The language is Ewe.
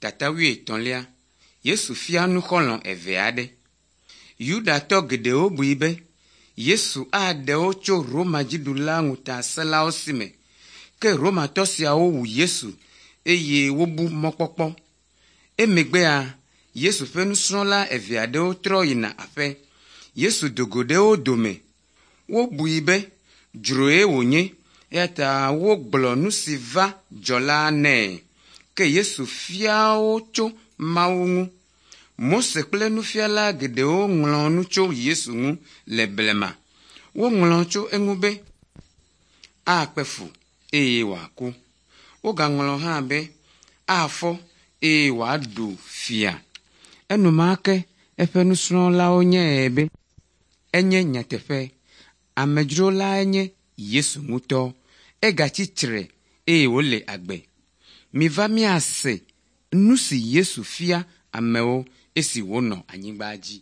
Tata wuietɔ̃lia, Yesu fia nu xɔlɔ̃ eve aɖe. Yudatɔ geɖewo bui be Yesu aɖe wo tso Roma dziɖula ŋutasẽlawo si me. Ke Romatɔ siawo wu Yesu eye wobu mɔkpɔkpɔ. Emegbea, Yesu ƒe nusrɔ̃la eve aɖewo trɔ yina aƒe. Yesu do go ɖe wo dome. Wobui be dzroe wònye eya ta wogblɔ nu si va dzɔ la nɛ. Ke Yesu fia wo tso Mawu ŋu. Mose kple nufiala geɖewo ŋlɔ nu tso Yesu ŋu le blema. Woŋlɔ tso eŋu be akpe fu eye wòaku. Wogaŋlɔ hã be afɔ eye wòaɖu fia. Enumake eƒe nusrɔ̃lawo nyae be enye nyateƒe. Amedzro lae nye Yesu ŋutɔ. Egatsi tre eye wòle agbe. Miva míase nu si Yesu fia amewo esi wònɔ anyigba dzi.